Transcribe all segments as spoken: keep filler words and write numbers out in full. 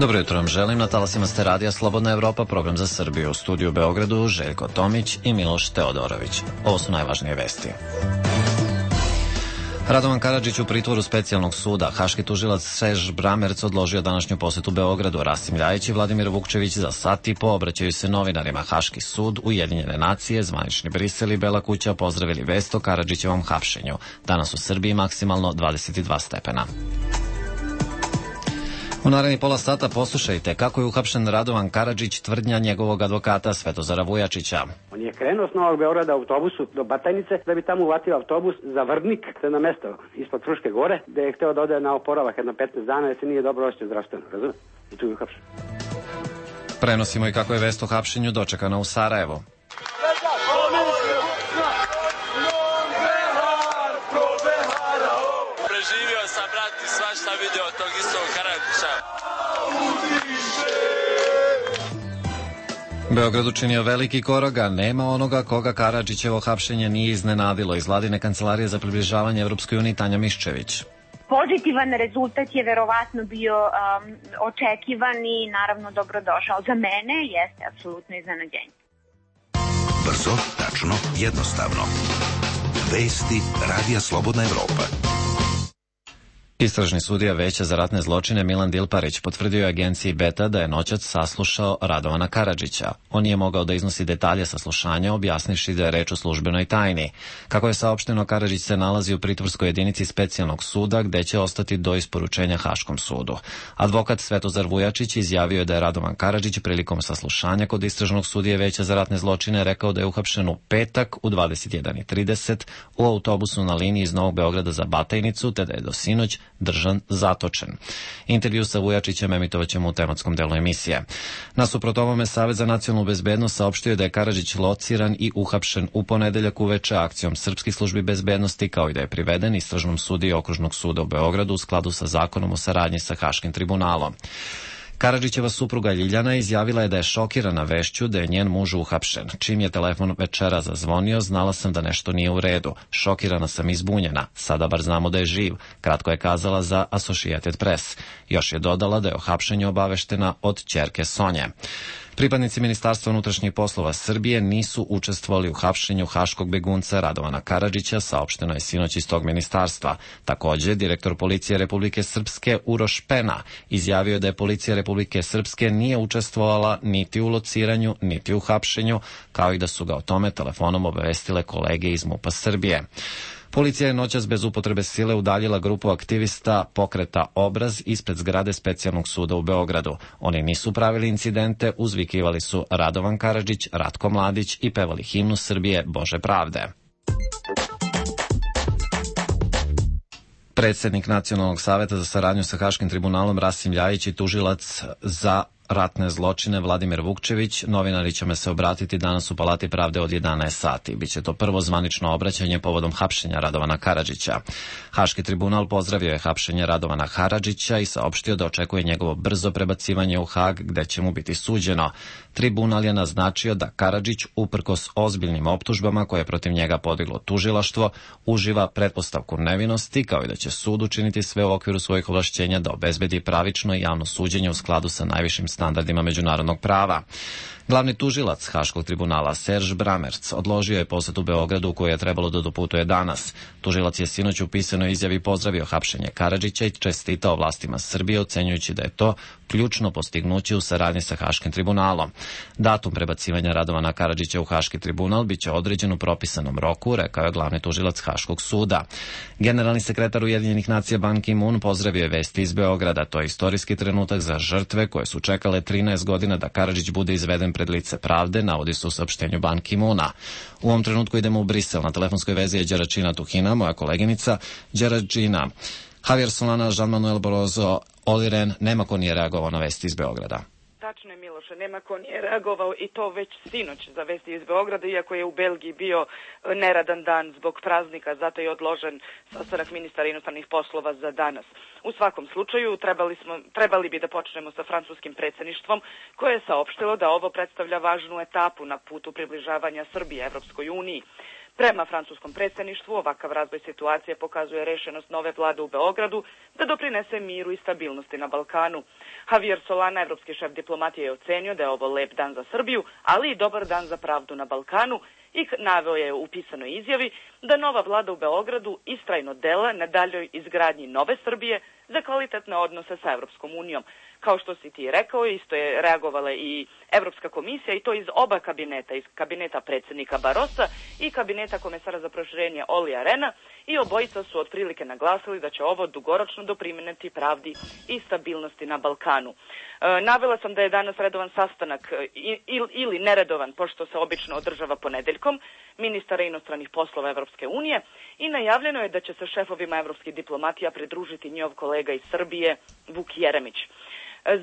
Dobro jutro vam želim, na talasima ste radija Slobodna Evropa, program za Srbiju. U studiju u Beogradu Željko Tomić i Miloš Teodorović. Ovo su najvažnije vesti. Radovan Karadžić u pritvoru specijalnog suda. Haški tužilac Serž Bramerc odložio današnju posetu Beogradu. Rasim Ljajić i Vladimir Vukčević za sat i po obraćaju se novinarima. Haški sud, Ujedinjene nacije, zvanični Brisel i Bela kuća pozdravili vest o Karadžićevom hapšenju. Danas u Srbiji maksimalno dvadeset dva stepena. U narednih pola sata poslušajte kako je uhapšen Radovan Karadžić, tvrdnja njegovog advokata Svetozara Vujačića. On je krenuo s Novog Beograda autobusu do Batajnice da bi tamo uvatio autobus za Vrdnik, to je na mesto ispod Fruške gore, gde je hteo da ode na oporavak jedno petnaest dana jer se nije dobro osjećao zdravstveno, razumiješ? I tu je uhapšen. Prenosimo i kako je vest o hapšenju dočekana u Sarajevu. Preživio sam, brat, i svašta video tog istog Karadžića. Beograd učinio veliki korak, a nema onoga koga Karadžićevo hapšenje nije iznenadilo. Iz vladine kancelarije za približavanje Evropskoj uniji Tanja Miščević. Pozitivan rezultat je verovatno bio um, očekivan i naravno dobrodošao. Za mene jeste apsolutno iznenađenje. Brzo, tačno, jednostavno. Vesti Radija Slobodna Evropa. Istražni sudija Veća za ratne zločine Milan Dilparić potvrdio je agenciji Beta da je noćas saslušao Radovana Karadžića. On nije mogao da iznosi detalje saslušanja, objasnivši da je reč o službenoj tajni. Kako je saopšteno, Karadžić se nalazi u pritvorskoj jedinici specijalnog suda, gde će ostati do isporučenja Haškom sudu. Advokat Svetozar Vujačić izjavio je da je Radovan Karadžić prilikom saslušanja kod istražnog sudije Veća za ratne zločine rekao da je uhapšen u petak u dvadeset jedan i trideset u autobusu na liniji iz Novog Beograda za Batajnicu, te da je do sinoć držan zatočen. Intervju sa Vujačićem emitovaćemo u tematskom delu emisije. Nasuprot ovome, Savet za nacionalnu bezbednost saopštio da je Karadžić lociran i uhapšen u ponedeljak uveče akcijom srpskih službi bezbednosti, kao i da je priveden istražnom sudiji Okružnog suda u Beogradu u skladu sa zakonom o saradnji sa Haškim tribunalom. Karadžićeva supruga Ljiljana izjavila je da je šokirana vešću da je njen muž uhapšen. Čim je telefon večera zazvonio, znala sam da nešto nije u redu. Šokirana sam i zbunjena. Sada bar znamo da je živ, kratko je kazala za Associated Press. Još je dodala da je o hapšenju obaveštena od ćerke Sonje. Pripadnici Ministarstva unutrašnjih poslova Srbije nisu učestvovali u hapšenju haškog begunca Radovana Karadžića, saopšteno je sinoć iz tog ministarstva. Takođe, direktor policije Republike Srpske Uroš Pena izjavio da je policija Republike Srpske nije učestvovala niti u lociranju, niti u hapšenju, kao i da su ga o tome telefonom obavestile kolege iz MUP-a Srbije. Policija je noćas bez upotrebe sile udaljila grupu aktivista Pokreta Obraz ispred zgrade specijalnog suda u Beogradu. Oni nisu pravili incidente, uzvikivali su Radovan Karadžić, Ratko Mladić i pevali himnu Srbije Bože pravde. Predsednik Nacionalnog saveta za saradnju sa Haškim tribunalom Rasim Ljajić i tužilac za ratne zločine Vladimir Vukčević novinari će me se obratiti danas u Palati pravde od jedanaest sati. Biće to prvo zvanično obraćanje povodom hapšenja Radovana Karadžića. Haški tribunal pozdravio je hapšenje Radovana Karadžića i saopštio da očekuje njegovo brzo prebacivanje u Hag, gde će mu biti suđeno. Tribunal je naznačio da Karadžić, uprkos ozbiljnim optužbama koje je protiv njega podiglo tužilaštvo, uživa pretpostavku nevinosti, kao i da će sud učiniti sve u okviru svojih ovlašćenja da obezbedi pravično i javno suđenje u skladu sa najvišim standardima međunarodnog prava. Glavni tužilac Haškog tribunala Serž Bramerc odložio je posetu Beogradu u koju je trebalo da doputuje danas. Tužilac je sinoć u pisanoj izjavi pozdravio hapšenje Karadžića i čestitao vlastima Srbije, ocenjujući da je to ključno postignuće u saradnji sa Haškim tribunalom. Datum prebacivanja Radovana Karadžića u Haški tribunal biće određen u propisanom roku, rekao je glavni tužilac Haškog suda. Generalni sekretar Ujedinjenih nacija Ban Ki-moon pozdravio je vesti iz Beograda. To je istorijski trenutak za žrtve koje su čekale trinaest godina da Karadžić bude izveden pred lice pravde, navodi se u saopštenju Ban Ki-moona. U ovom trenutku idemo u Brisel. Na telefonskoj vezi je Đeračina Tuhina, moja koleginica. Đeračina, Javier Solana, Jean-Manuel Barroso, Olli Rehn, nema ko nije reagovao na vesti iz Beograda. Tačno je, Miloše, nema ko nije reagovao i to već sinoć za vesti iz Beograda, iako je u Belgiji bio neradan dan zbog praznika, zato je odložen sastanak ministara inostranih poslova za danas. U svakom slučaju trebali, smo, trebali bi da počnemo sa francuskim predsjedništvom, koje je saopštilo da ovo predstavlja važnu etapu na putu približavanja Srbije Evropskoj uniji. Prema francuskom predsjedništvu, ovakav razvoj situacije pokazuje rešenost nove vlade u Beogradu da doprinese miru i stabilnosti na Balkanu. Javier Solana, evropski šef diplomatije, je ocenio da je ovo lep dan za Srbiju, ali i dobar dan za pravdu na Balkanu, i naveo je u pisanoj izjavi da nova vlada u Beogradu istrajno dela na daljoj izgradnji nove Srbije za kvalitetne odnose sa Evropskom unijom. Kao što si ti rekao, isto je reagovala i Evropska komisija, i to iz oba kabineta, iz kabineta predsjednika Barossa i kabineta komesara za proširenje Olija Rena, i obojica su otprilike naglasili da će ovo dugoročno doprineti pravdi i stabilnosti na Balkanu. E, navela sam da je danas redovan sastanak i, il, ili neredovan, pošto se obično održava ponedeljkom, ministara inostranih poslova Evropske unije, i najavljeno je da će se šefovima evropskih diplomatija pridružiti njov kolega iz Srbije, Vuk Jeremić.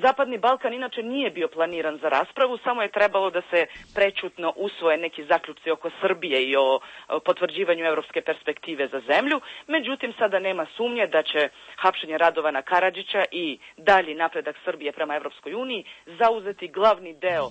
Zapadni Balkan inače nije bio planiran za raspravu, samo je trebalo da se prećutno usvoje neki zaključci oko Srbije i o potvrđivanju evropske perspektive za zemlju. Međutim, sada nema sumnje da će hapšenje Radovana Karadžića i dalji napredak Srbije prema Evropskoj uniji zauzeti glavni deo e,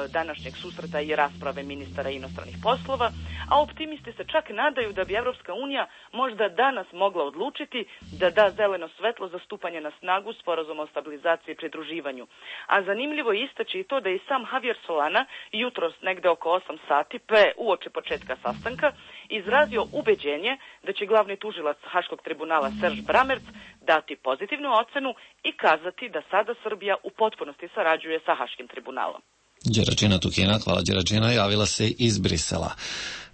današnjeg susreta i rasprave ministara inostranih poslova, a optimisti se čak nadaju da bi Evropska unija možda danas mogla odlučiti da da zeleno svetlo za stupanje na snagu sporazuma o stabilizaciji i pridruživanju. A zanimljivo je istaći i to da je sam Javier Solana jutros negde oko osam sati pre uoči početka sastanka izrazio ubeđenje da će glavni tužilac Haškog tribunala Serž Bramerc dati pozitivnu ocenu i kazati da sada Srbija u potpunosti sarađuje sa Haškim tribunalom. Đeračina Tuhina, hvala Đeračina, javila se iz Brisela.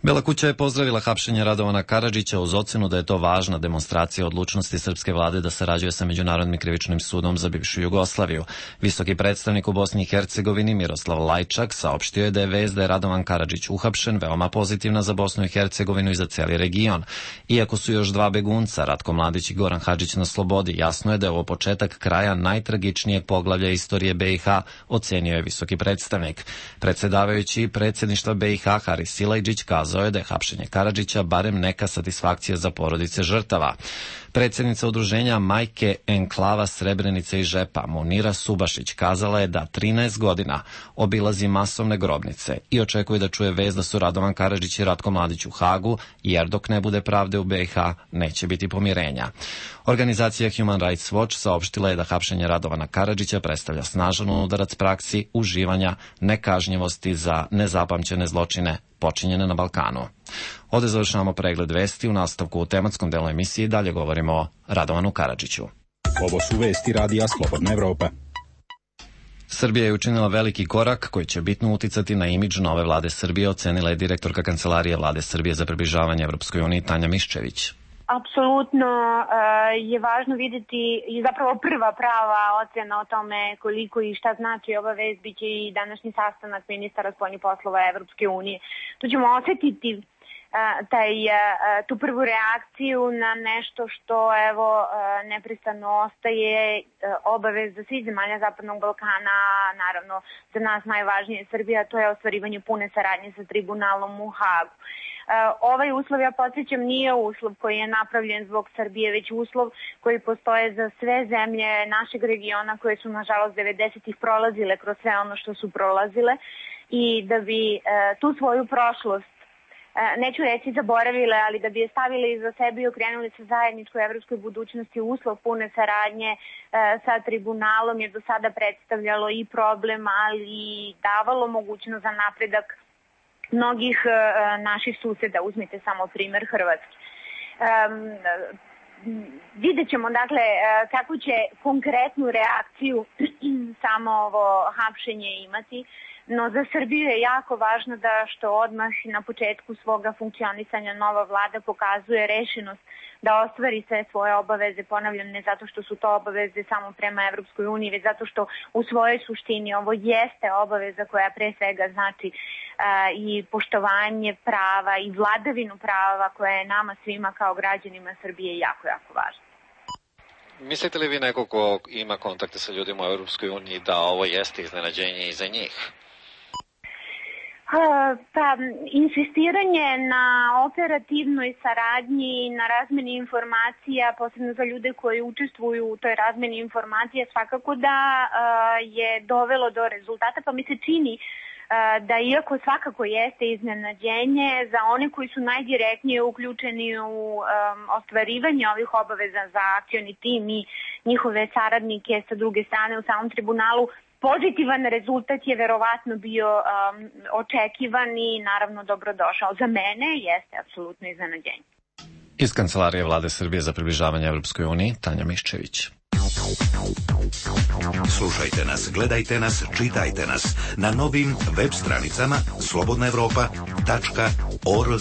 Bela kuća je pozdravila hapšenje Radovana Karadžića uz ocenu da je to važna demonstracija odlučnosti srpske vlade da sarađuje sa Međunarodnim krivičnim sudom za bivšu Jugoslaviju. Visoki predstavnik u Bosni i Hercegovini Miroslav Lajčak saopštio je da je vest da je Radovan Karadžić uhapšen veoma pozitivna za Bosnu i Hercegovinu i za cijeli region. Iako su još dva begunca, Ratko Mladić i Goran Hadžić, na slobodi, jasno je da je ovo početak kraja najtragičnijeg poglavlja istorije B i H, ocenio je visoki predstavnik. Predsedavajući predsjedništva B i H Haris Silajdžić kazao je da je hapšenje Karadžića barem neka satisfakcija za porodice žrtava. Predsjednica udruženja Majke Enklava Srebrenice i Žepa Munira Subašić kazala je da trinaest godina obilazi masovne grobnice i očekuje da čuje vest da su Radovan Karadžić i Ratko Mladić u Hagu, jer dok ne bude pravde u B i H neće biti pomirenja. Organizacija Human Rights Watch saopštila je da hapšenje Radovana Karadžića predstavlja snažan udarac praksi uživanja nekažnjivosti za nezapamćene zločine počinjene na Balkanu. Ovdje završavamo pregled vesti. U nastavku u tematskom delu emisije dalje govorimo o Radovanu Karadžiću. Ovo su vesti Radija Slobodna Evropa. Srbija je učinila veliki korak koji će bitno uticati na imidž nove vlade Srbije, ocenila je direktorka Kancelarije vlade Srbije za približavanje Evropskoj uniji Tanja Miščević. Apsolutno je važno vidjeti i zapravo prva prava ocena o tome koliko i šta znači ova vest biće i današnji sastanak ministara spoljnih poslova Evropske unije. Tu ćemo osjetiti taj, tu prvu reakciju na nešto što evo neprestano ostaje obaveza svih zemalja Zapadnog Balkana, naravno za nas najvažnije Srbija, to je ostvarivanje pune saradnje sa tribunalom u Hagu. Ovaj uslov, ja podsjećam, nije uslov koji je napravljen zbog Srbije, već uslov koji postoje za sve zemlje našeg regiona koje su nažalost devedesetih prolazile kroz sve ono što su prolazile i da bi tu svoju prošlost, neću reći zaboravile, ali da bi je stavili iza sebe i okrenuli se zajedničkoj evropskoj budućnosti, uslov pune saradnje sa tribunalom je do sada predstavljalo i problem, ali i davalo mogućnost za napredak mnogih uh, naših suseda, uzmite samo primer Hrvatske. Um, vidjet ćemo dakle kako će konkretnu reakciju samo ovo hapšenje imati, no za Srbiju je jako važno da što odmah na početku svoga funkcionisanja nova vlada pokazuje rešenost da ostvari sve svoje obaveze, ponavljam, ne zato što su to obaveze samo prema Evropskoj uniji, već zato što u svojoj suštini ovo jeste obaveza koja pre svega znači uh, i poštovanje prava i vladavinu prava koja je nama svima kao građanima Srbije jako, jako važna. Mislite li vi neko ko ima kontakte sa ljudima u Evropskoj uniji da ovo jeste iznenađenje i za njih? Pa, insistiranje na operativnoj saradnji, na razmeni informacija, posebno za ljude koji učestvuju u toj razmeni informacija, svakako da je dovelo do rezultata, pa mi se čini da iako svakako jeste iznenađenje, za one koji su najdirektnije uključeni u um, ostvarivanje ovih obaveza za akcioni tim i njihove saradnike sa druge strane u samom tribunalu, pozitivan rezultat je verovatno bio um, očekivan i naravno dobrodošao. Za mene jeste apsolutno iznenađenje. Iz Kancelarije Vlade Srbije za približavanje Evropskoj uniji, Tanja Miščević. Slušajte nas, gledajte nas, čitajte nas na novim web stranicama slobodna evropa tačka org.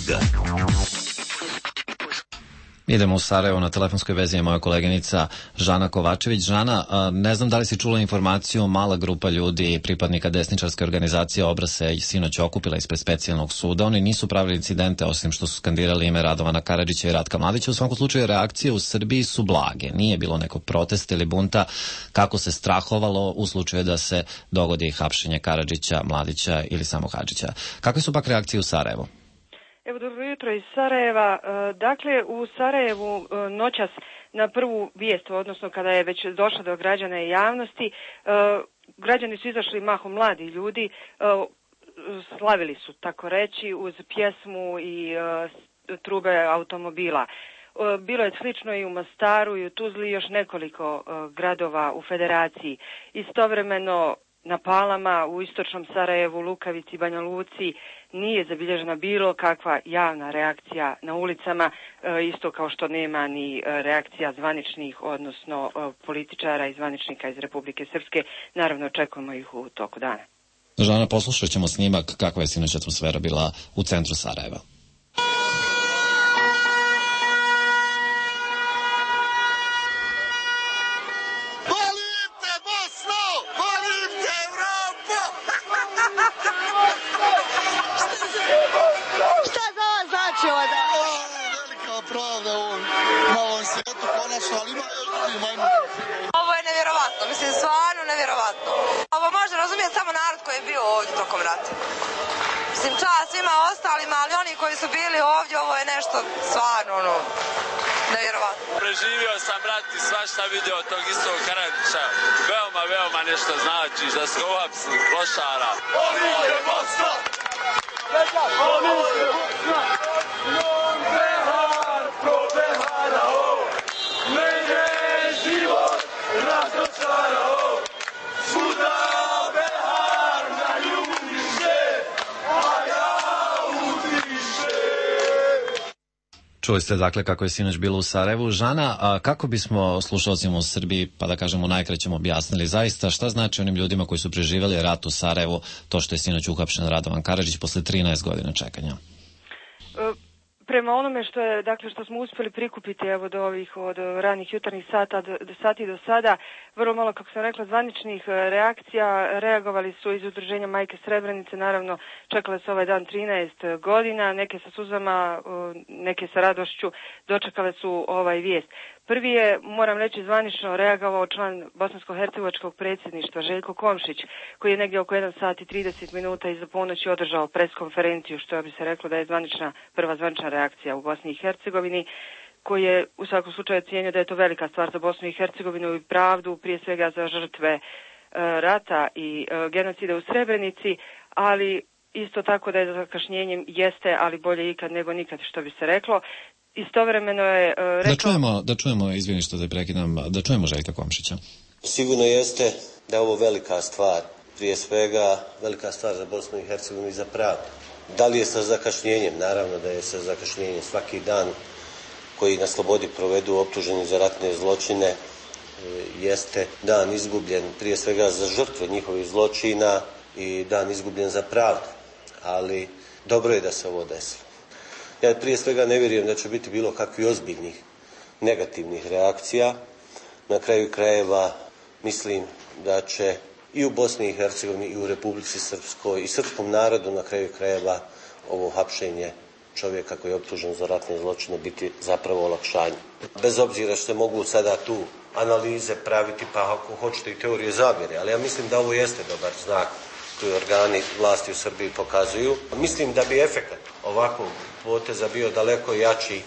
Idemo u Sarajevo, na telefonskoj vezi je moja koleginica Žana Kovačević. Žana, ne znam da li si čula informaciju, mala grupa ljudi, pripadnika desničarske organizacije Obraz se sinoć okupila ispred specijalnog suda. Oni nisu pravili incidente, osim što su skandirali ime Radovana Karadžića i Ratka Mladića. U svakom slučaju reakcije u Srbiji su blage. Nije bilo nekog protesta ili bunta kako se strahovalo u slučaju da se dogodi hapšenje Karadžića, Mladića ili samo Hadžića. Kakve su pak reakcije u Sarajevu? Evo, dobro jutro iz Sarajeva. Dakle, u Sarajevu noćas na prvu vijest, odnosno kada je već došla do građana i javnosti, građani su izašli mahom mladi ljudi, slavili su, tako reći, uz pjesmu i trube automobila. Bilo je slično i u Mostaru i u Tuzli i još nekoliko gradova u Federaciji. Istovremeno na Palama, u istočnom Sarajevu, Lukavici, Banja Luci nije zabilježena bilo kakva javna reakcija na ulicama, isto kao što nema ni reakcija zvaničnih, odnosno političara i zvaničnika iz Republike Srpske. Naravno, očekujemo ih u toku dana. Žana, poslušat ćemo snimak kakva je sinoć atmosfera bila u centru Sarajeva. Ovo je nevjerovatno, mislim, stvarno nevjerovatno. Ovo može razumjeti samo narod koji je bio ovdje tokom rata. Mislim, čast svima ostalima, ali oni koji su bili ovdje, ovo je nešto stvarno, ono, nevjerovatno. Preživio sam rat i svašta video tog istog Karadžića. Veoma, veoma nešto znači da se uhapsi lošara. Oni je Bosna! Oni je Bosna! Non behar, pro beharao. Mene život razočarao. Svuda behar na ljubiše, a ja udiše. Čuli ste dakle kako je sinoć bilo u Sarajevu. Žana, a kako bismo slušalcima u Srbiji, pa da kažemo najkraćem, objasnili zaista šta znači onim ljudima koji su preživjeli rat u Sarajevu, to što je sinoć uhapšen Radovan Karadžić posle trinaest godina čekanja? Prema onome što je, dakle, što smo uspjeli prikupiti evo do ovih od ranih jutarnjih sata do, do sati do sada, vrlo malo, kako sam rekla, zvaničnih reakcija. Reagovali su iz udruženja Majke Srebrenice, naravno čekale su ovaj dan trinaest godina, neke sa suzama, neke sa radošću, dočekale su ovaj vijest. Prvi je, moram reći, zvanično reagovao član bosansko-hercegovačkog predsjedništva Željko Komšić, koji je negdje oko jedan sat i trideset minuta iza ponoći održao preskonferenciju, što bi se reklo da je zvanična, prva zvanična reakcija u Bosni i Hercegovini, koji je u svakom slučaju cijenio da je to velika stvar za Bosnu i Hercegovinu i pravdu, prije svega za žrtve e, rata i e, genocida u Srebrenici, ali isto tako da je zakašnjenjem jeste, ali bolje ikad nego nikad, što bi se reklo. Istovremeno je uh, rekao... Da čujemo, da čujemo, izvini što te prekidam, da čujemo Željka Komšića. Sigurno jeste da je ovo velika stvar, prije svega velika stvar za Bosnu i Hercegovinu i za pravdu. Da li je sa zakašnjenjem? Naravno da je sa zakašnjenjem. Svaki dan koji na slobodi provedu optuženi za ratne zločine jeste dan izgubljen prije svega za žrtve njihovih zločina i dan izgubljen za pravdu. Ali dobro je da se ovo desilo. Ja prije svega ne vjerujem da će biti bilo kakvih ozbiljnih negativnih reakcija. Na kraju krajeva mislim da će i u Bosni i Hercegovini i u Republici Srpskoj i srpskom narodu na kraju krajeva ovo hapšenje čovjeka koji je optužen za ratne zločine biti zapravo olakšanje. Bez obzira što se mogu sada tu analize praviti, pa ako hoćete i teorije zavjere, ali ja mislim da ovo jeste dobar znak koji organi vlasti u Srbiji pokazuju. Mislim da bi efekat ovakvog poteza bio daleko jači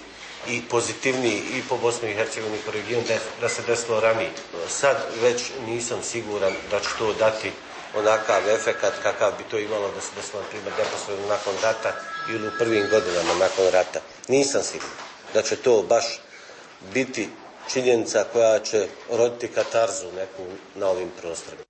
i pozitivniji i po Bosni i Hercegovini i po regionu da se desilo ranije. Sad već nisam siguran da će to dati onakav efekat kakav bi to imalo da se desilo, na primjer, neposredno nakon rata ili u prvim godinama nakon rata. Nisam siguran da će to baš biti činjenica koja će roditi katarzu neku na ovim prostorima.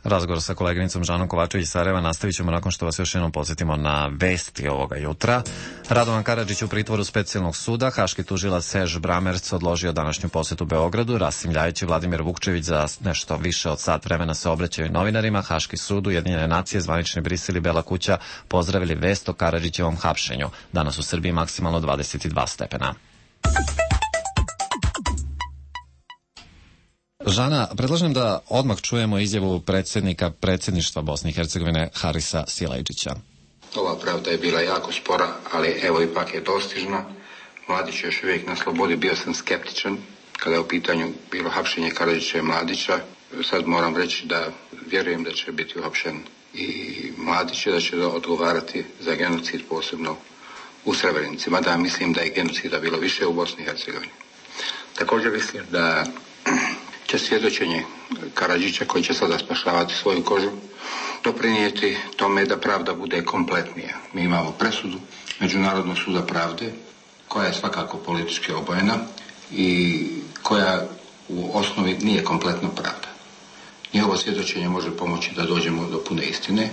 Razgovor sa koleginicom Žanom Kovačević iz Sarajeva nastavit ćemo nakon što vas još jednom podsjetimo na vesti ovoga jutra. Radovan Karadžić u pritvoru specijalnog suda, haški tužilac Serž Bramerc odložio današnju posetu Beogradu, Rasim Ljajić i Vladimir Vukčević za nešto više od sat vremena se obraćaju novinarima. Haški sud, Ujedinjene nacije, zvanični Brisel i Bela kuća pozdravili vest o Karadžićevom hapšenju. Danas u Srbiji maksimalno dvadeset dva stepena. Žana, predlažem da odmah čujemo izjavu predsjednika predsjedništva Bosne i Hercegovine Harisa Silajdžića. Ova pravda je bila jako spora, ali evo ipak je dostižna. Mladić je još uvijek na slobodi, bio sam skeptičan kada je u pitanju bilo hapšenje Karadžića i Mladića. Sad moram reći da vjerujem da će biti uhapšen i Mladić, da će odgovarati za genocid, posebno u Srebrenici, mada mislim da je genocida bilo više u Bosni i Hercegovini. Također mislim da će svjedočenje Karadžića, koji će sada spašavati svoju kožu, doprinijeti tome da pravda bude kompletnija. Mi imamo presudu Međunarodnog suda pravde, koja je svakako politički obojena i koja u osnovi nije kompletna pravda. Njihovo svjedočenje može pomoći da dođemo do pune istine.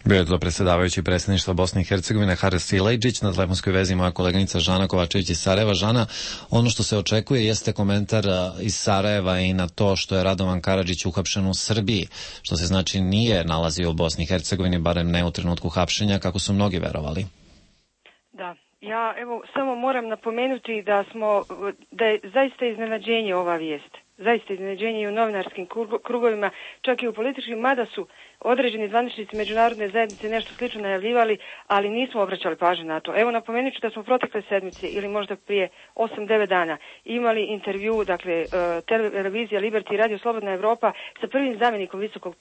Bio je to predsjedavajući predsjedništva Bosne i Hercegovine Haris Silajdžić, na telefonskoj vezi moja koleginica Žana Kovačević iz Sarajeva. Žana, ono što se očekuje jeste komentar iz Sarajeva i na to što je Radovan Karadžić uhapšen u Srbiji, što se znači nije nalazio u Bosni i Hercegovini, barem ne u trenutku hapšenja, kako su mnogi verovali. Da, ja evo samo moram napomenuti da smo, da je zaista iznenađenje ova vijest. Zaista iznenađenje i u novinarskim krugovima, čak i u političkim, mada su određeni zvaničnici međunarodne zajednice nešto slično najavljivali, ali nismo obraćali pažnju na to. Evo, napomenut ću da smo protekle sedmice ili možda prije osam devet dana imali intervju, dakle, televizija Liberty i Radio Slobodna Evropa sa prvim zamjenikom visokog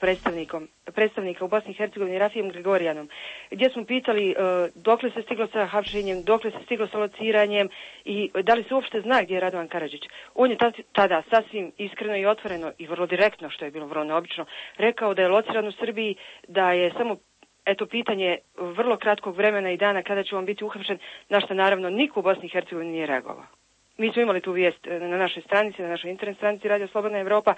predstavnika u Bosni i Hercegovini Rafijem Gregorijanom, gdje smo pitali dokle se stiglo sa hapšenjem, dokle se stiglo sa lociranjem i da li se uopšte zna gdje je Radovan Karadžić. On je tada sasvim iskreno i otvoreno i vrlo direktno, što je bilo vrlo neobično, rekao da je lociran u Srbiji, da je samo eto pitanje vrlo kratkog vremena i dana kada će on biti uhapšen, na što naravno niko u Bosni i Hercegovini nije reagovao. Mi smo imali tu vijest na našoj stranici, na našoj internet stranici Radio Slobodna Evropa.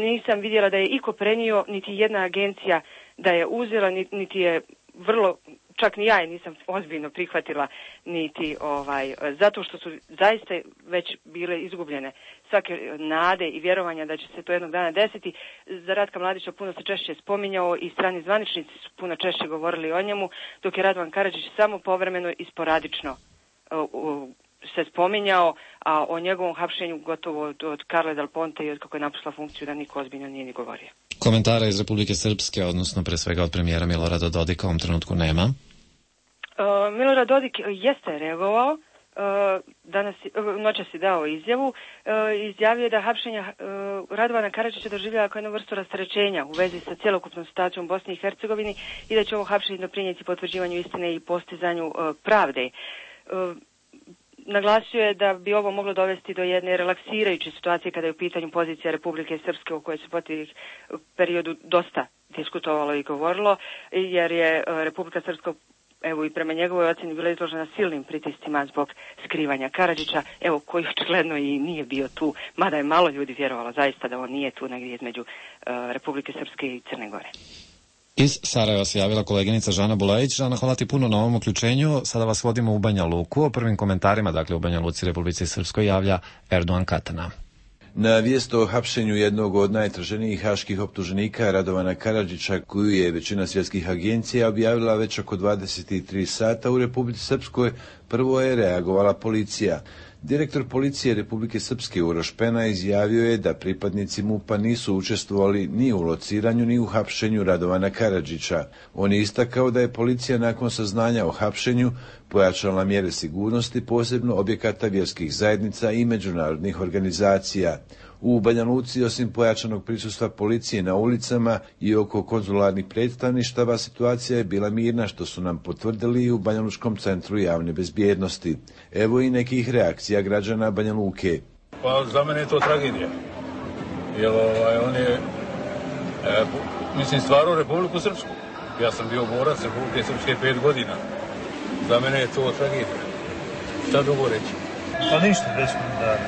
Nisam vidjela da je iko prenio, niti jedna agencija da je uzela, niti je vrlo, čak ni ja je nisam ozbiljno prihvatila, niti ovaj, zato što su zaista već bile izgubljene svake nade i vjerovanja da će se to jednog dana desiti. Za Ratka Mladića puno se češće spominjao i strani zvaničnici su puno češće govorili o njemu, dok je Radovan Karadžić samo povremeno i sporadično uh, uh, se spominjao, a o njegovom hapšenju gotovo od, od Karle Del Ponte i od kako je napustila funkciju da niko ozbiljno nije ni govorio. Komentara iz Republike Srpske, odnosno pre svega od premijera Milorada Dodika, u ovom trenutku nema. Uh, Milorad Dodik jeste reagovao, uh, danas, uh, noćas je dao izjavu, uh, izjavio je da hapšenja uh, Radovana Karadžića doživljava kao jednu vrstu rasterećenja u vezi sa cjelokupnom situacijom u Bosni i Hercegovini i da će ovo hapšenje doprinijeti potvrđivanju istine i postizanju uh, pravde. Uh, Naglasio je da bi ovo moglo dovesti do jedne relaksirajuće situacije kada je u pitanju pozicija Republike Srpske, o kojoj se po tih periodu dosta diskutovalo i govorilo, jer je Republika Srpska, evo i prema njegovoj ocjeni, bila izložena silnim pritiscima zbog skrivanja Karadžića, evo koji očigledno i nije bio tu, mada je malo ljudi vjerovalo zaista da on nije tu negdje između uh, Republike Srpske i Crne Gore. Iz Sarajeva se javila koleginica Žana Bulajić. Žana, hvala ti puno na ovom uključenju. Sada vas vodimo u Banja Luku. O prvim komentarima, dakle u Banja Luci, Republici Srpskoj, javlja Erdogan Katana. Na vijest o hapšenju jednog od najtraženijih haških optuženika Radovana Karadžića, koju je većina svjetskih agencija objavila već oko dvadeset tri sata u Republici Srpskoj, prvo je reagovala policija. Direktor policije Republike Srpske Uroš Pena izjavio je da pripadnici MUP-a nisu učestvovali ni u lociranju ni u hapšenju Radovana Karadžića. On je istakao da je policija nakon saznanja o hapšenju pojačala mjere sigurnosti, posebno objekata vjerskih zajednica i međunarodnih organizacija. U Banja Luci, osim pojačanog prisustva policije na ulicama i oko konzularnih predstavništava, situacija je bila mirna, što su nam potvrdili i u Banja Lučkom centru javne bezbjednosti. Evo i nekih reakcija građana Banja Luke. Pa za mene je to tragedija. Jer ovaj, on je e, Mislim, stvarno Republiku Srpsku. Ja sam bio borac Republike Srpske pet godina. Za mene je to tragedija. Šta drugo reći? Pa ništa, već komentara.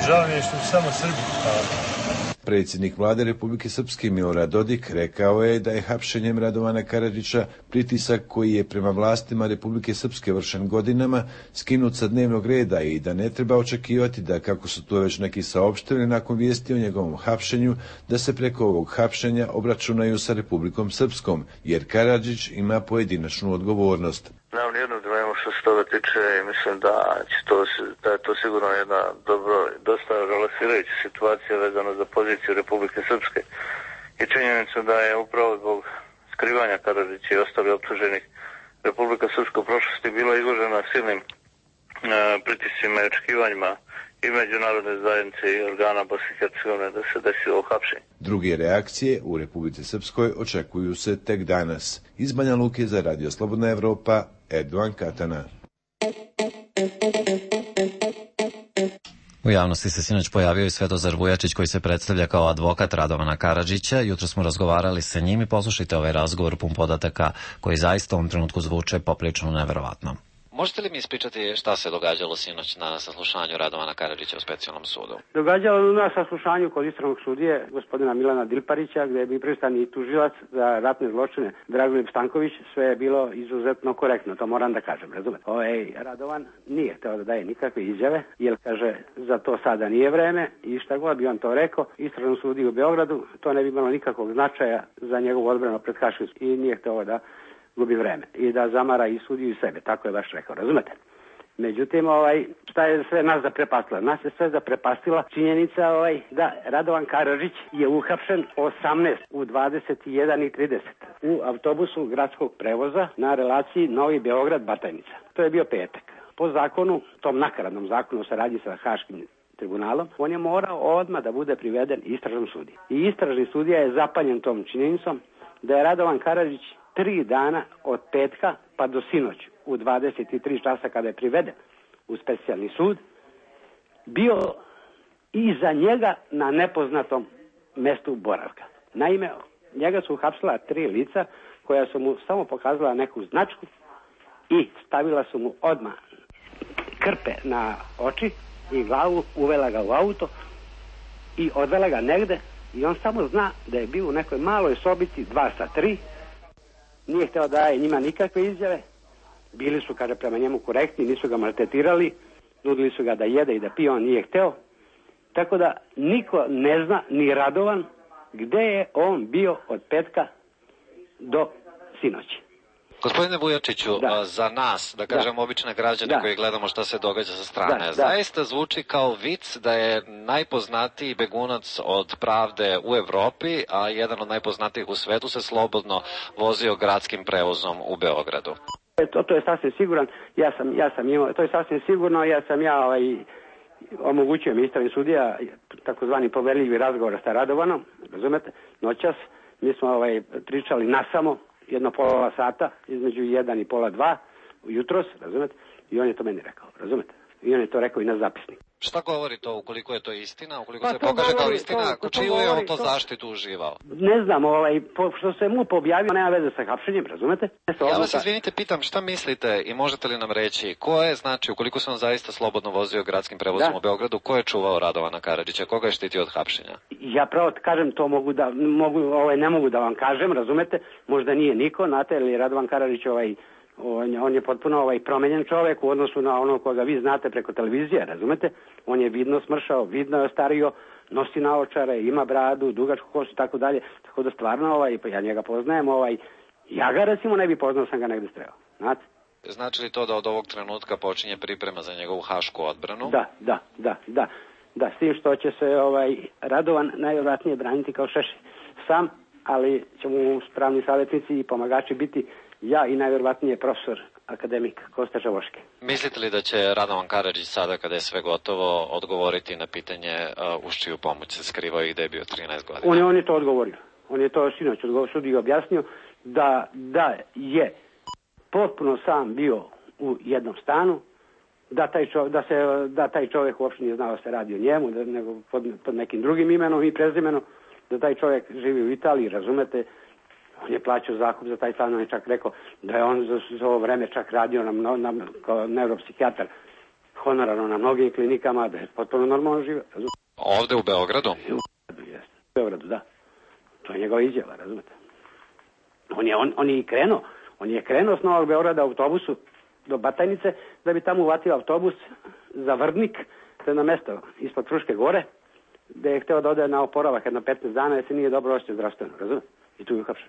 Žao mi je što su samo Srbi. Predsjednik vlade Republike Srpske Milorad Dodik rekao je da je hapšenjem Radovana Karadžića pritisak koji je prema vlastima Republike Srpske vršen godinama skinut sa dnevnog reda i da ne treba očekivati da, kako su to već neki saopštili nakon vijesti o njegovom hapšenju, da se preko ovog hapšenja obračunaju sa Republikom Srpskom, jer Karadžić ima pojedinačnu odgovornost. Nemam nijednu dilemu što se toga tiče i mislim da, će to, da je to sigurno jedna dobro, dosta relaksirajuća situacija vezana za poziciju Republike Srpske i činjenica da je upravo zbog skrivanja Karadžića i ostali optuženih Republika Srpska u prošlosti bila izložena silnim e, pritiscima i očekivanjima i međunarodne zajednice i organa Bosne i Hercegovine da se desi ovo hapšenje. Druge reakcije u Republici Srpskoj očekuju se tek danas. Iz Banja Luke za Radio Slobodna Evropa, Erdovan Katana. U javnosti se sinoć pojavio i Svetozar Vujačić koji se predstavlja kao advokat Radovana Karadžića. Jutro smo razgovarali sa njim i poslušajte ovaj razgovor pun podataka koji zaista u ovom trenutku zvuče poprilično neverovatno. Možete li mi ispričati šta se događalo sinoć na saslušanju Radovana Karadžića u specijalnom sudu? Događalo na saslušanju kod istražnog sudije gospodina Milana Dilparića, gdje je bio prisutan i tužilac za ratne zločine Dragoljub Stanković. Sve je bilo izuzetno korektno, to moram da kažem, razumete. Ovaj Radovan nije hteo da daje nikakve izjave, jer kaže za to sada nije vreme i šta god bi on to rekao, istražnom sudiju u Beogradu, to ne bi imalo nikakvog značaja za njegovu odbranu pred Haškim i nije hteo da gubi vreme i da zamara i sudiju i sebe, tako je baš rekao, razumete? Međutim, ovaj, šta je sve nas zaprepastila? Nas je sve zaprepastila činjenica ovaj, da Radovan Karadžić je uhapšen osamnaest u dvadeset jedan i trideset u autobusu gradskog prevoza na relaciji Novi Beograd-Batajnica. To je bio petak. Po zakonu, tom nakaradnom zakonu o saradnji sa Haškim tribunalom, on je morao odmah da bude priveden istražnom sudiji. I istražni sudija je zapaljen tom činjenicom da je Radovan Karadžić tri dana od petka pa do sinoć u dvadeset tri časa kada je priveden u specijalni sud bio iza njega na nepoznatom mestu boravka. Naime, njega su uhapsila tri lica koja su mu samo pokazala neku značku i stavila su mu odmah krpe na oči i glavu, uvela ga u auto i odvela ga negde i on samo zna da je bio u nekoj maloj sobici dva sa tri. Nije hteo da daje njima nikakve izjave, bili su, kaže, prema njemu korektni, nisu ga maltretirali, nudili su ga da jede i da pije, on nije hteo. Tako da niko ne zna, ni Radovan, gde je on bio od petka do sinoći. Gospodine Vujačiću, da. za nas, da kažem da. obične građane da. koji gledamo šta se događa sa strane, da, zaista da. zvuči kao vic da je najpoznatiji begunac od pravde u Evropi, a jedan od najpoznatijih u svetu se slobodno vozio gradskim prevozom u Beogradu. To, to je sasvim siguran, ja sam, ja sam imao, to je sasvim sigurno, ja sam ja ovaj, omogućio ministar sudija takozvani poverljivi razgovor sa Radovanom, razumete, noćas, mi smo ovaj, pričali nasamo, jedno pola sata, između jedan i pola dva, jutros, razumete, i on je to meni rekao, razumete, i on je to rekao i na zapisnik. Šta govori to, ukoliko je to istina, ukoliko pa se pokaže govori, kao istina, to, čiju je on to, to zaštitu uživao? Ne znam, ovaj, po, što se mu objavio, nema veze sa hapšenjem, razumete? Ja vas izvinite, pitam, šta mislite i možete li nam reći, ko je, znači, ukoliko se on zaista slobodno vozio gradskim prevozom da. u Beogradu, ko je čuvao Radovana Karadžića, koga je štitio od hapšenja? Ja pravo kažem, to mogu da, mogu, ovaj, ne mogu da vam kažem, razumete, možda nije niko, znate, ili Radovan Karadžić, ovaj, On je, on je potpuno ovaj promenjen čovjek u odnosu na ono koga vi znate preko televizije, razumete? On je vidno smršao, vidno je ostario, nosi naočare, ima bradu, dugačku kosu i tako dalje. Tako da stvarno, ovaj, ja njega poznajem, ovaj, ja ga recimo ne bi poznao, sam ga negde streo, znate? Znači li to da od ovog trenutka počinje priprema za njegovu hašku odbranu? Da, da, da, da. Da, s tim što će se ovaj, Radovan najvjerojatnije braniti kao Šešelj sam, ali će mu pravni savjetnici i pomagači biti ja i najvjerovatnije profesor akademik Kosta Žavoški. Mislite li da će Radovan Karadžić sada, kada je sve gotovo, odgovoriti na pitanje uh, uz čiju pomoć se skrivao i da je bio trinaest godina? On je, on je to odgovorio. On je to sinoć odgovorio, sudi objasnio da, da je potpuno sam bio u jednom stanu, da taj, čovjek, da, se, da taj čovjek uopšte nije znao da se radi o njemu, da, nego pod, pod nekim drugim imenom i prezimenom, da taj čovjek živi u Italiji, razumete, on je plaćao zakup za taj stan, on je čak rekao da je on za, za ovo vreme čak radio na, na, na, kao neuropsihijatar honorarno na mnogim klinikama, da je potpuno normalno živio. Razumete? Ovde u Beogradu? U Beogradu, da. To je njegova izjava, razumete. On je, on, on je i krenuo, on je krenuo s Novog Beograda autobusu do Batajnice, da bi tamo uvatio autobus za Vrdnik, to je na mesto ispod Fruške gore, gde je hteo da ode na oporavak jedno petnaest dana, jer se nije dobro osjećao zdravstveno, razumete? I tu je uhapšen.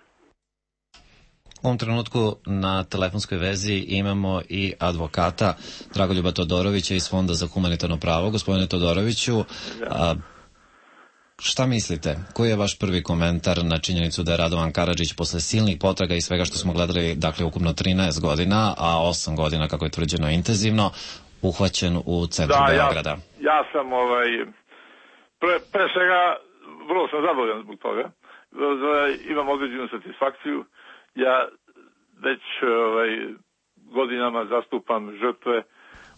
U ovom trenutku na telefonskoj vezi imamo i advokata Dragoljuba Todorovića iz Fonda za humanitarno pravo. Gospodine Todoroviću, a, šta mislite? Koji je vaš prvi komentar na činjenicu da je Radovan Karadžić posle silnih potraga i svega što smo gledali, dakle ukupno trinaest godina, a osam godina, kako je tvrđeno, intenzivno, uhvaćen u centru da, Beograda? Ja, ja sam, ovaj, pre, pre svega, vrlo sam zadovoljan zbog toga. Imam određenu satisfakciju. Ja već ovaj, godinama zastupam žrtve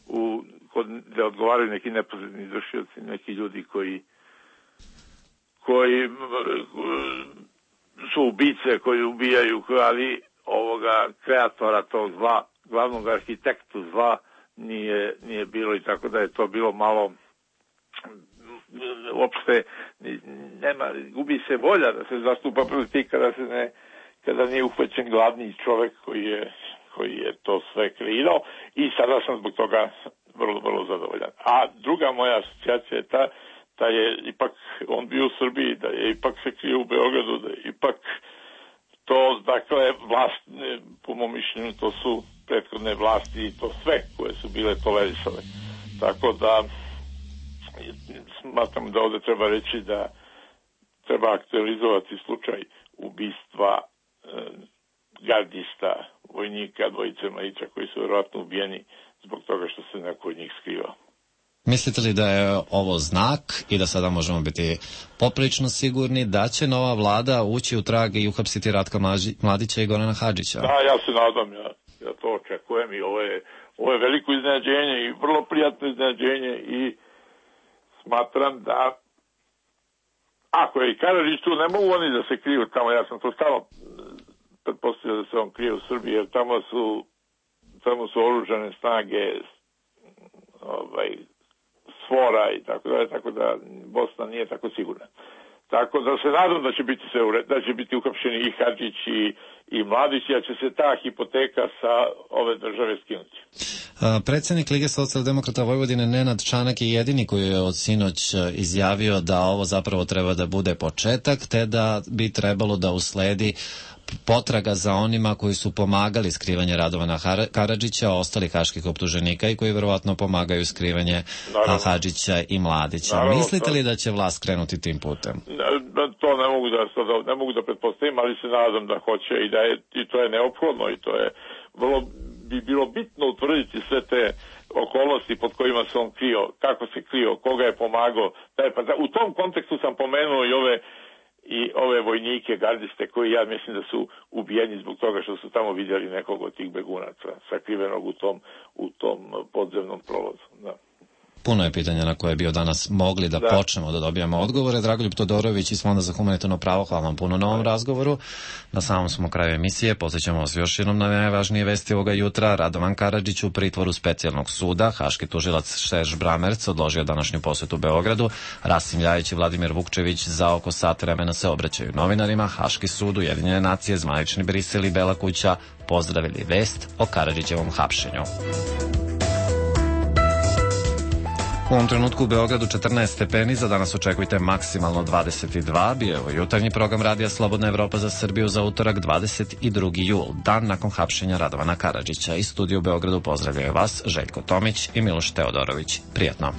u, kod, gde odgovaraju neki neposredni izvršioci, neki ljudi koji koji su ubice, koji ubijaju, ali ovoga kreatora tog zla, glavnog arhitektu zla nije, nije bilo, i tako da je to bilo malo uopšte nema, gubi se volja da se zastupa protiv kada se ne kada nije uhvaćen glavni čovek koji je, koji je to sve kreirao, i sada sam zbog toga vrlo, vrlo zadovoljan. A druga moja asocijacija je ta da je ipak on bio u Srbiji, da je ipak se krio u Beogradu, da je ipak to, dakle, vlast, po mom mišljenju, to su prethodne vlasti i to sve koje su bile tolerisane. Tako da smatram da ovde treba reći da treba aktualizovati slučaj ubistva e, gardista, vojnika, dvojice mladića koji su verovatno ubijeni zbog toga što se neko od njih skrivao. Mislite li da je ovo znak i da sada možemo biti poprilično sigurni da će nova vlada ući u trag i uhapsiti Ratka Mladića i Gorana Hadžića? Da, ja se nadam, ja, ja to očekujem, i ovo je, ovo je veliko iznenađenje i vrlo prijatno iznenađenje, i smatram da ako je i Karadžić tu, ne mogu oni da se kriju tamo. Ja sam to stalno pretpostavio da se on krije u Srbiji, jer tamo su tamo su oružane snage ovaj, svora i tako da, tako da Bosna nije tako sigurna. Tako da se nadam da će biti sve ured, da će biti uhapšeni i Hadžić i, i Mladić, a će se ta hipoteka sa ove države skinuti. Predsjednik Lige socijaldemokrata Vojvodine Nenad Čanak je jedini koji je od sinoć izjavio da ovo zapravo treba da bude početak, te da bi trebalo da usledi potraga za onima koji su pomagali skrivanje Radovana Karadžića, ostali haških optuženika i koji verovatno pomagaju skrivanje Naravno. Hadžića i Mladića. Naravno, Mislite li da će vlast krenuti tim putem? To ne mogu da, ne mogu da pretpostavim, ali se nadam da hoće, i da je, i to je neophodno, i to je vrlo, bi bilo bitno utvrditi sve te okolnosti pod kojima se on krio, kako se krio, koga je pomagao. U tom kontekstu sam pomenuo i ove i ove vojnike, gardiste, koji ja mislim da su ubijeni zbog toga što su tamo vidjeli nekog od tih begunaca sakrivenog u tom, u tom podzemnom prolazu. Da. Puno je pitanja na koje bi od danas mogli da, da počnemo da dobijamo odgovore. Dragoljub Todorović iz Fonda za humanitarno pravo, hvala vam puno na ovom razgovoru. Na samom smo kraju emisije. Podsjećamo vas još jednom na najvažnije vesti ovoga jutra. Radovan Karadžić u pritvoru specijalnog suda. Haški tužilac Šerž Bramerc odložio današnju posjetu Beogradu. Rasim Ljajić i Vladimir Vukčević za oko sat vremena se obraćaju novinarima. Haški sud, Ujedinjene nacije, zvanični Brisel i Bela kuća pozdravili vest o Karadžićevom hapšenju. U ovom trenutku u Beogradu četrnaest stepeni, za danas očekujte maksimalno dvadeset dva. Bio je ovo jutarnji program Radija Slobodna Evropa za Srbiju za utorak dvadeset drugi jul, dan nakon hapšenja Radovana Karadžića. Iz studija u Beogradu pozdravljaju vas Željko Tomić i Miloš Teodorović. Prijatno.